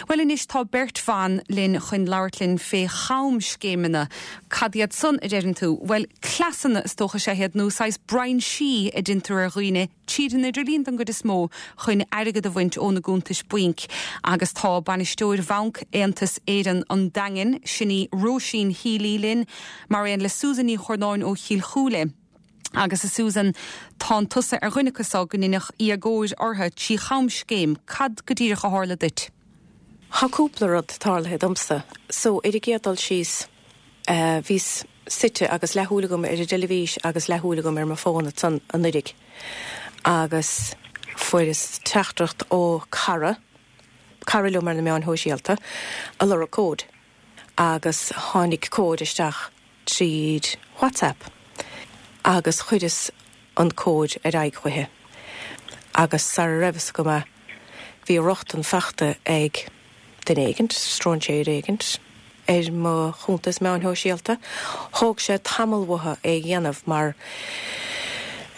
Bhuel anois tá beirt bhan linn chun labhairt linn fé chamscéimeanna. Cad iad san, a deireann tú? Bhuel, cleasanna is dócha is ea iad, nó saghas brainsí a deintear ar dhaoine, tríd an idirlíon don gcuid is mó, chun airgead a bhaint óna gcuntais bainc. Agus tá bainisteoir Bhanc Aontas Éireann an Daingin, sin í Róisín Healy linn, mar aon le Susan Ní Churnáin ó Chill Chúile. Agus a Susan, tánn tusa ar dhuine acu so go ndeineadh éagóir orthu trí chamscéim. Cad go díreach a tharla duit? Tá cúpla rud tarlaithe domsa. So, ar an gcéad dul síos, bhíos suite agus leathshúil agam ar an dteilifís agus leathshúil agam ar mo fón ansan anuiridh agus fuaireas teachtaireacht ó cara, cara liom ar na meáin shóisialta, ag lorg cóid agus tháinig cód isteach tríd WhatsApp agus chuireas an cód ar aghaidh chuici agus sara raibh fhios agam é bhí rochtain fachta ag duine éigint, stróinséir éigint, ar mo chuntas meáin shóisialta. Thóg sé tamall uathu é a dhéanamh mar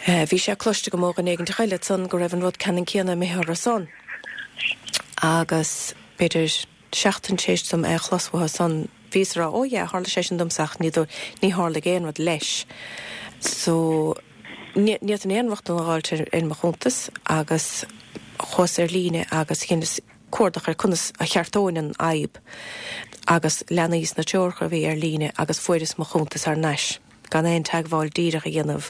bhí sé cloiste agam ó dhuine éigint eile ansan go raibh an rud ceannann céanna imithe orthu san agus b'fhéidir seachtain tar éis dom é a chlos uathu san, bhíos a rá, oh yeah, tharla sé sin domsa ach ní, ní tharlaigh aon rud leis. So, ní fhéadfainn aon rochtain a dh'fháilt ar, ar mo chuntas agus chuas ar líne agus dheineas cuardach ar conas a cheartóinn an fhadhb agus leanaíos na treoracha a bhí ar líne agus fuaireas mo chuntas thar n-ais gan aon teagmháil díreach a dhéanamh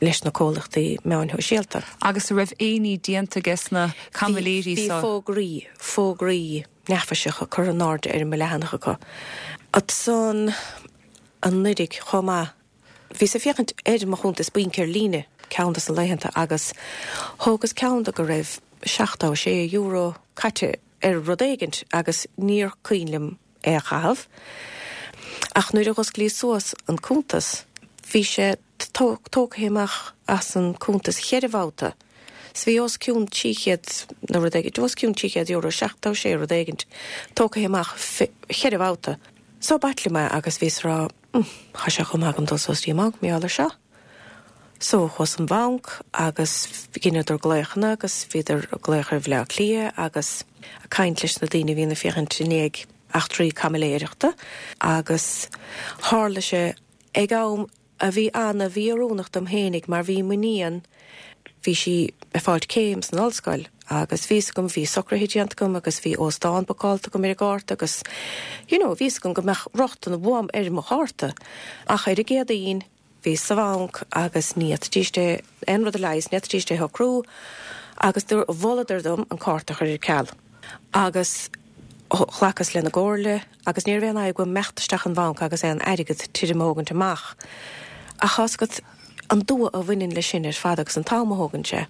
leis na comhlachtaí meáin shóisialta. Agus an raibh aon ní déanta ages na caimiléirí Bhí so? fógraí, fógraí neafaiseacha curtha in airde ar mo leathanach acu. Ansan anuiridh chomh maith, bhíos ag féachaint ar mo chuntas bainc ar líne ceann dos na laethanta agus thógas ceann de go raibh €76 caite ar rud éigint agus níor cuimhin liom é a chaitheamh. Ach nuair a dh'osclaíos suas an cuntas, bhí sé tógtha amach as an cuntas cheithre bhabhta. So bhí os cionn 300 nó rud éigint, os cionn €300, 76 rud éigint, tógtha amach cheithre bhabhta. So b'ait liom é agus bhíos a rá, hm, thá sé chomh maith agam dul suas dtí an mbanc, mar gheall ar seo. So chuas an bhanc agus dheineadar glaochanna agus bhíodar ag glaoch ar Bhleá Cliath agus ag caint leis na daoine a bhíonn ag féachaint i ndiaidh eachtraí caimiléireachta agus tharla sé ag am a bhí ana-mhí-oiriúnach dom fhéinig mar bhí m'iníon, bhí sí ag fáilt céim san ollscoil agus bhí 'fhios agam, bhí socruithe déanta agam agus bhí óstán bookáilte agam ar an gcárta agus you know bhí 'fhios agam go mbeadh rochtain uaim ar mo chárta ach ar an gCéadaoin Bhíos sa bhanc agus ní fhéadfaidís é, aon rud a leigheas, ní fhéadfaidís é a shocrú agus do mholadar dom an cárta a chur ar ceal. Agus ghlacas lena gcomhairle agus ní raibh aon fhadhb agam imeacht isteach an bhanc agus aon airgead tirim a thógaint amach. Ach tá's agat an dua a bhaineann leis sin ar fad agus an t-am a thógann sé.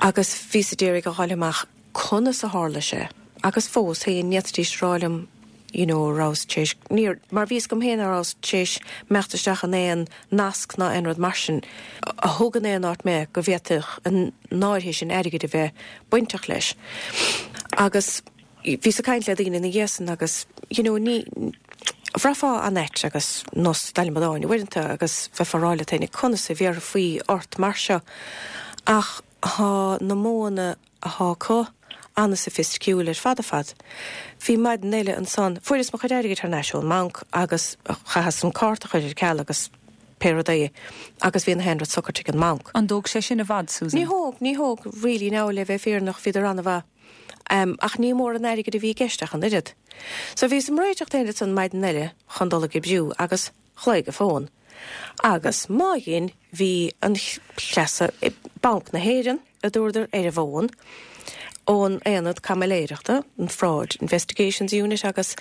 Agus bhíos a d'iarraidh a dh'fháil amach conas a tharla sé agus fós féin ní fhéadfaidís a rá liom you know rabhas tar éis, níor, mar bhí 'fhios agam féin nach rabhas tar éis imeacht isteach in aon nasc ná aon rud mar sin a thug in aon áit mé go bhféadfadh an áirithe sin airgid a bheith bainteach leis. Agus bhíos ag caint le daoine ina dhiaidh san agus you know ní, bhraithfeá an-ait agus nós adhlamadáin uaireanta agus bheifeá ag rá leat féin conas a bhéarfaí ort mar seo ach thá na modhanna athá acu an-soifisticiúil ar fad ar fad. Bhí maidin eile ansan, fuaireas mo chuid airgid thar n-ais ón mbanc agus chaitheas an cárta a chur ar ceal agus pé rud é agus bhí na haon rud socair ag an mbanc. An dtóg sé sin i bhfad, Susan? Ní thóg, ní thóg really now le bheith fírinneach bhíodar an-mhaith. Ach ní mór an airgid a bhí i gceist ach an oiread. So bhíos im réiteach féin ansan maidin eile chun dul ag oibriú agus ghlaoigh an fón. Agus má dhein, bhí an chleas i Banc na hÉireann, a dúradar, ar an bhfón, ón Aonad Caimiléireachta, an Fraud Investigations Unit, agus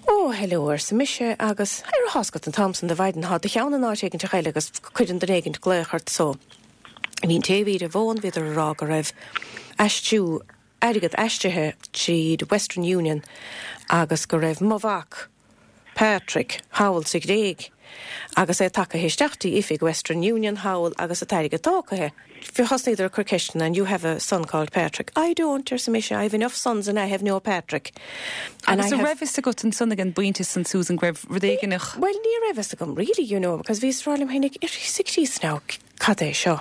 Ó, hello, arsa mise, agus ar thá's agat an t-am san de mhaidin, thá do cheann in áit éiginteach eile agus cuireann duine éigint glaoch ort so. Bhí an té a bhí ar an bhfón, bhíodar a rá go raibh aistriú, airgead aistrithe tríd Western Union agus go raibh mo mhac, Patrick, thall sa Ghréig agus é tagtha isteach dtí oifig Western Union thall agus an t-airgead tógtha. Thosnaíodar ag cur ceisteanna, and you have a son called Patrick? I don't, arsa mise, I have enough sons and I have no Patrick. And Agus an raibh fhios agat ansan ag an bpointe san, Susan, go raibh rud éigineach? Bhuel, ní raibh fhios agam really, you know, because bhíos ag rá liom féinig, ar Íosa Críost now, cad é seo?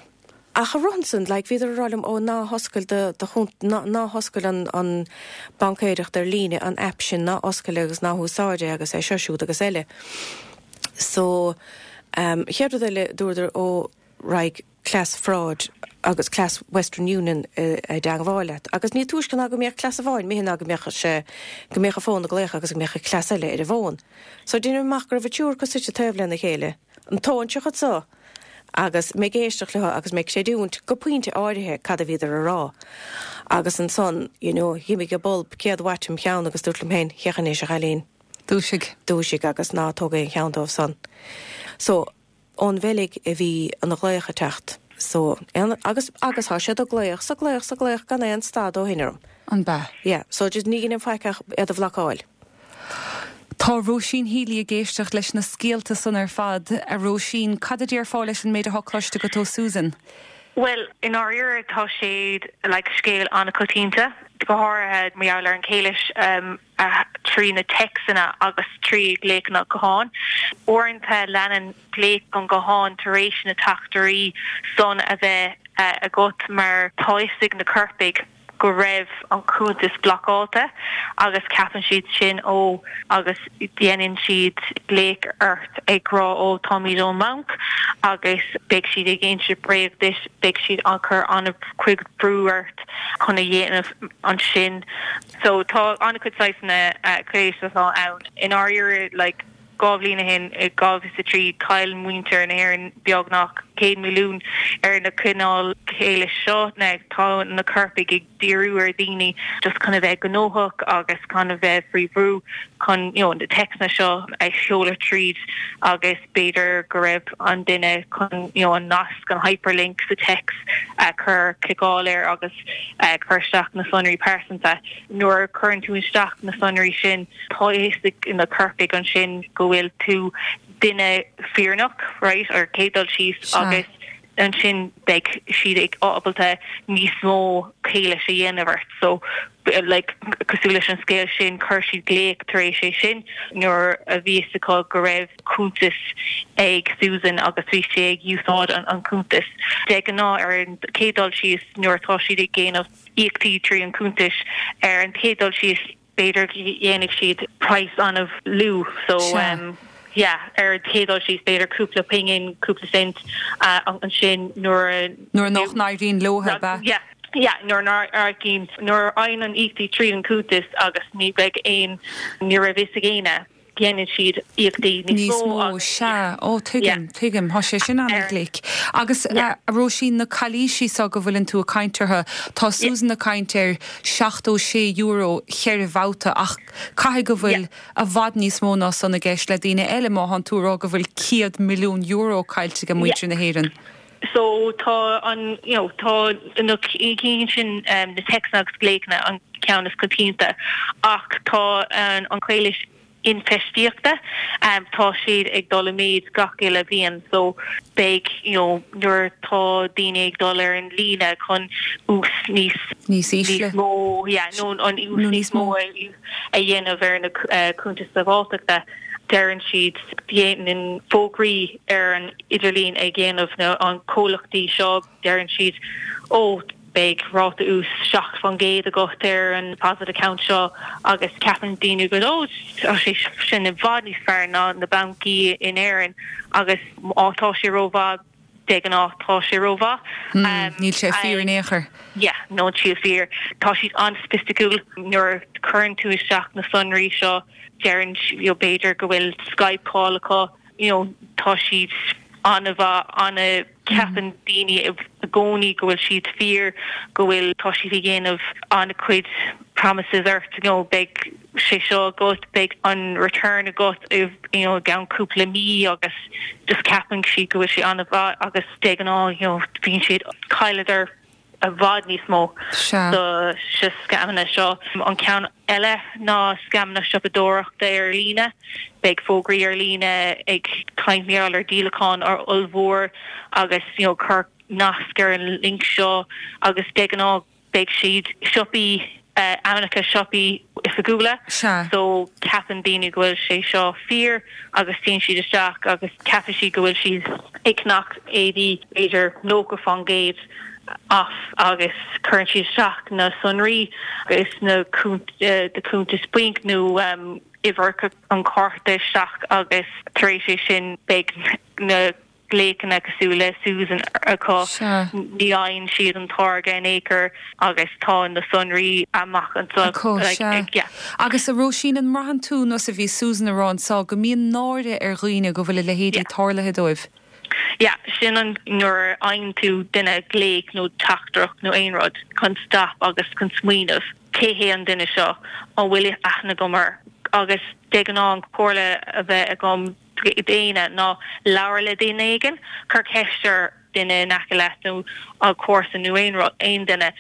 Ach i rith ansan, like, bhíodar ag rá liom, ó, ná hoscail do, do chunt, ná, ná hoscail an, an baincéireacht ar líne, an app sin, ná oscail é agus ná húsáid é agus é seo, siúd agus eile. So, um, chéad rud eile, dúradar, ó, raghaidh cleas fraud agus cleas Western Union i dteangmháil leat. Agus ní túisce ná go mbíodh cleas amháin imithe ná go mbeadh sé, go mbeadh an fón ag glaoch agus go mbeadh an cleas eile ar an bhfón. So deinim amach go raibh an triúr acu suite taobh lena chéile, an t-óinseach anso agus mé ag éisteacht leo agus mé ag creidiúint go pointe áirithe cad a bhíodar a rá. Agus ansan, you know, dh'imigh an bulb 100 watt im cheann agus dúrt liom féin, féach anois, a chailín. Dúisigh. Dúisigh agus ná tóg aon cheann dóibh san. So, ón Bheilg a bhí an ghlaoch ag teacht. So, aon, agus, agus thá siad ag glaoch, 's ag glaoch, 's ag glaoch gan aon stad ó shin orm. An b'ea? Yeah, so just ní dheinim faic ach iad a bhlocáil. Tá Róisín Healy ag éisteacht leis na scéalta san ar fad. A Róisín, cad a déarfá leis an méid atá cloiste agat ó Susan? Bhuel, i ndáiríre tá sé like scéal an-choitianta, go háirithe mar gheall ar an chéilis trí na téacsanna agus trí ghlaochanna gutháin. Uaireanta leanann glaoch an gutháin tar éis na teachtairí san a bheith agat mar tá fhios ag na coirpigh go raibh an cuntas blocáilte agus ceapann siad sin ó agus déanann siad glaoch ort ag rá ó táimid ón mbanc agus beidh siad ag inse bréag duit, beidh siad ag cur an-chuid brú ort chun a dhéanamh ansin. So tá an-chuid saghsanna calaois atá ann. I ndáiríre like 2 bhliain ó shin, i 2003, chaill muintir na hÉireann beagnach 100 milliún ar na cineál calaois seo. Now tá na coirpigh ag díriú ar dhaoine just chun a bheith gnóthach agus chun a bheith faoi bhrú chun you know na téacsanna seo a sheoladh tríd agus b'fhéidir go raibh an duine chun you know an nasc, an hyperlink sa téacs a chur, cliceáil air agus cur isteach na sonraí pearsanta. Nuair a chuireann tú isteach na sonraí sin, Tá a fhios ag na coirpigh ansin go bhfuil tú duine fírinneach, right, ar chéad dul síos agus ansin beidh siad ag ábalta níos mó calaois a dhéanamh ort. So, like, cosúil leis an scéal sin, chuir siad glaoch tar éis é sin nuair a bhí fhios acu go raibh cuntas ag Susan agus bhí sé ag úsáid an cuntas. De ghnáth ar an chéad dul síos nuair atá siad ag déanamh íocaíochtaí trí an cuntas ar an chéad dul síos, b'fhéidir go dhéanfaidh siad praghas an-lú so yeah ar an chéad dul síos b'fhéidir cúpla pingin, cúpla cent ansin nuair a. Nuair nach n-éiríonn leo, ab ea? Yeah, yeah nuair nach n-éiríonn, nuair a fhaigheann an íocaíochtaí tríd an cuntas agus ní bheidh aon, ní raibh fhios ag éinne. Déanann siad íocaíochtaí níos mó agus. Sea. Ó, tuigim, tuigim. Tá sé sin an-ghlic. Agus, a Róisín, na calaoisí seo go bhfuileann tú ag caint orthu, tá Susan ag caint ar €76 cheithre bhabhta ach caithfidh go bhfuil i bhfad níos mó ná san i gceist le daoine eile má thánn tú ag rá go bhfuil €100 milliún caillte ag muintir na hÉireann. So tá an, you know, tá na cinn sin, na téacsanna agus glaochanna an ceann is coitianta ach tá an chailís infheistíochta, tá siad ag dul i méid gach uile bhliain so beidh, you know, nuair atá daoine ag dul ar an líne chun ús níos, níos ísle, níos mó, yeah, nó an ús níos mó a dhéanamh ar na cuntais sábháilteachta, deireann siad, déanann fógraí ar an. idirlíon ag déanamh na an comhlachtaí seo deireann siad ó beidh ráta ús 7% agat ar an deposit account seo agus ceapann daoine go ó tá sé sin i bhfad níos fearr ná na bancaí in Éirinn agus má tá sé rómhaith de ghnáth tá sé rómhaith. Níl sé fíor in aon chor. Yeah, níl sé fíor. Tá siad an-soifisticiúil nuair a chuireann tú isteach na sonraí seo deireann you know b'fhéidir go bhfuil Skype call acu you know tá siad an-mhaith, an-, ceapann daoine i gcónaí go bhfuil siad fíor, go bhfuil, tá siad ag déanamh an-chuid promises ort, you know beidh sé seo agat, beidh an return agat i you know i gceann cúpla mí agus just ceapann siad go bhfuil sé an-mhaith agus de ghnáth you know bíonn siad, chailleadar i bhfad níos mó sa scamanna seo. An ceann eile ná scamanna siopadóireachta ar líne. Beidh fógraí ar líne ag caint mar gheall ar díolachán ollmhór agus you know cuir nasc ar an link seo agus de ghnáth beidh siad siopaí, ainmneacha siopaí. oifigiúla. So ceapann daoine go bhfuil sé seo fíor agus téann siad isteach agus ceapann siad go bhfuil siad ag ceannach éadaí b'fhéidir 90% off agus cuireann siad isteach na sonraí agus na do cuntas bainc nó uimhir an chárta isteach agus tar éis é sin beidh na glaochanna cosúil le Susan acu, ní fhaigheann siad an táirge in aon chor agus tá na sonraí amach anseo. Acu, sea. Agus a Róisín, an mbraitheann tú, nós a bhí Susan a rá anseo, go mbíonn náire ar dhaoine go bhfuil a leithéidí tarlaithe dóibh? Yeah, sin an nuair a fhaigheann tú duine glaoch nó teachtaireacht nó aon rud chun stop agus chun smaoineamh cé hé an duine seo, an bhfuil aithne agam air agus de ghnáth an comhairle a bheith agam d'éinne ná labhair le duine éigin, cuir ceist ar duine in aice leat nó comharsa nó aon rud, aon duine,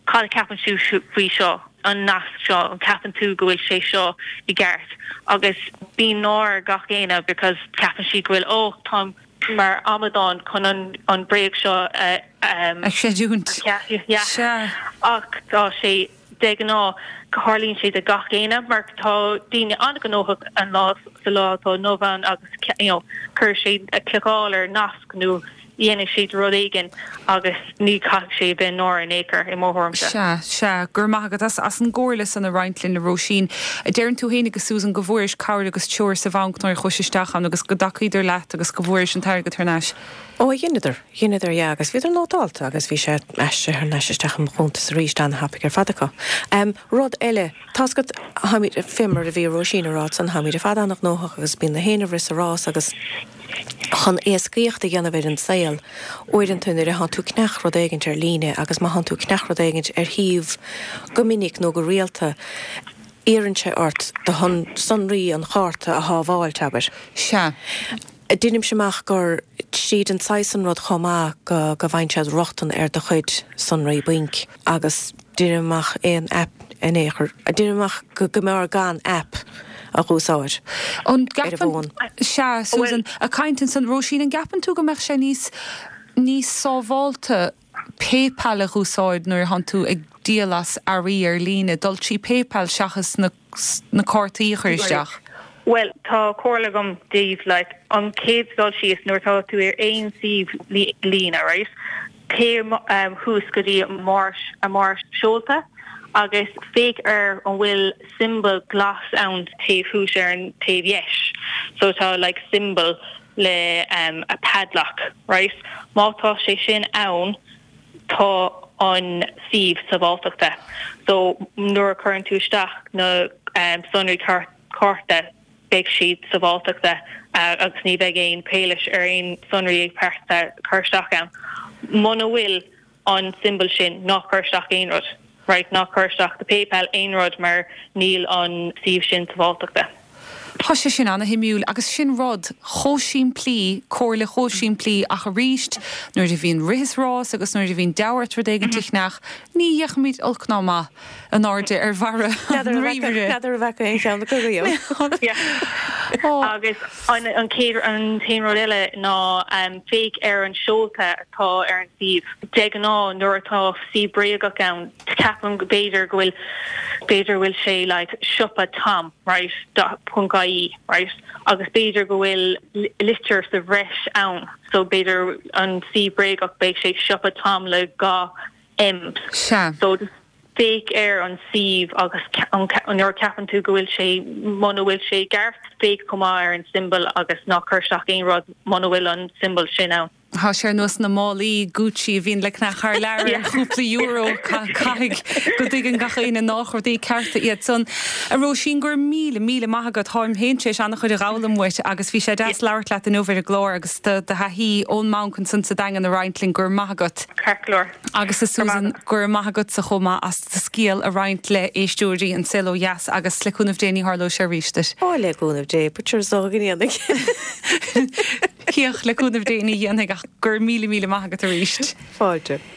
cad a cheapann tú faoi seo, an nasc seo, an ceapann tú go bhfuil sé seo i gceart? Agus bíonn náire ar gach éinne because ceapann siad go bhfuil oh táim mar amadán chun an an bréag seo a a chreidiúint. Yeah. Sea. Ach tá sé De ghnáth, tarlaíonn sé do gach éinne mar tá daoine an-ghnóthach an lá sa lá atá inniu ann agus you know cuirfidh siad cliceáil ar nasc nó dhéanfaidh siad rud éigin agus ní caithfidh sé a bheith náire in aon chor i mo thuairimse. Sea, sea. Go raibh maith agat as as an gcomhairle san a roinnt linn, a Róisín. Deireann tú fhéinig, a Susan, go bhfuairis cabhair agus treoir sa bhanc nuair a chuais isteach ann agus go dtacaíodar leat agus go bhfuairis an t-airgead thar n-ais. Ó, dheineadar. Dheineadar, yeah, agus bhíodar nótálta agus bhí sé aistrithe thar n-ais isteach i mo chuntas arís, an-thapaidh ar fad acu. Em, rud eile, tá's agat, táimid, fé mar a bhí Róisín a rá ansan, táimid ar fad an-ghnóthach agus bíonn na héinne ag rith sa rás agus chun éascaíocht a dhéanamh ar an saol, uaireanta nuair a thánn tú ag ceannach rud éigint ar líne agus má thánn tú ag ceannach rud éigint ar shuíomh go minic nó go rialta, iarrann sé ort do shonraí an chárta a shábháilt, abair. Sea. Deinimse amach gur tríd an saghas san rud chomh maith go go bhfaigheann siad rochtain ar do chuid sonraí bainc agus deinim amach aon aip in aon chor, deinim amach go go mb'fhearr gan aip a dh'úsáid An ar an gceapann, bhfón. sea, Susan, ag caint ansan, Róisín, an gceapann tú go mbeadh sé níos, níos sábhálta PayPal a dh'úsáid nuair a thánn tú ag díol as earraí ar líne, dul trí PayPal seachas na na cártaí a chur isteach? Bhuel, tá comhairle agam daoibh, like, an chéad dul síos nuair atá tú ar aon suíomh líne, right, téigh thuas go dtí a mbarra seolta agus féach ar an bhfuil symbol glas ann taobh thuas ar an taobh dheis. So tá like symbol le a padlock, right? Má tá sé sin ann, tá an suíomh sábháilteachta. So nuair a chuireann tú isteach na sonraí cárta beidh siad sábháilteachta agus ní bheidh aon calaois ar aon sonraí pearsanta cur isteach ann. Muna bhfuil an symbol sin, ná cuir isteach aon rud. Right, ná cuir isteach do PayPal aon rud mar níl an suíomh sin sábháilteachta. Tá sé sin ana-shuimiúil agus sin rud chomh simplí, comhairle chomh simplí ach arís nuair a bhíonn rith is rás agus nuair a bhíonn deabhadh ort rud éigin a cheannach, ní fhéachaimid olc ná maith in airde ar bharra an ríomhaire. N'fheadar an bhfaca aon cheann acu riamh. Agus an chéad, an t-aon rud eile ná féach ar an seolta atá ar an suíomh. De ghnáth nuair atá suíomh bréagach ann, ceapaim go b'fhéidir go bhfuil, b'fhéidir go bhfuil sé like siopa Tom right dot ponc ie right agus b'fhéidir go bhfuil litir sa bhreis ann so b'fhéidir an suíomh bréagach beidh sé siopa Tom le 2 M Sea. so just féach ar an suíomh agus nuair a ceapann tú go bhfuil sé muna bhfuil sé i gceart féach chomh maith ar an symbol agus ná cuir isteach aon rud muna bhfuil an symbol sin ann. Tá sé ar nós na málaí Gucci a bhíonn le ceannach thar lear ar chúpla euro. Caithfidh go dtuigeann gach éinne nách rudaí cearta iad san. A Róisín, go raibh míle, míle maith agat. Táim féin tar éis an-chuid a dh'fhoghlaim uait agus bhí sé deas labhairt leat inniu ar an gclár agus do thaithí ón mbanc ansan sa Daingean a roinnt linn. Go raibh maith agat. Ceart go leor. Agus a Susan, go raibh maith agatsa chomh maith as do scéal a roinnt le éisteoirí An Saol Ó Dheas agus le cúnamh Dé ní tharlóidh sé arís duit. Ó, le cúnamh Dé, but sure is dócha go ndéanfaidh. Féach, le cúnamh Dé ní dhéanfaidh ach go raibh míle míle maith agat arís. Fáilte.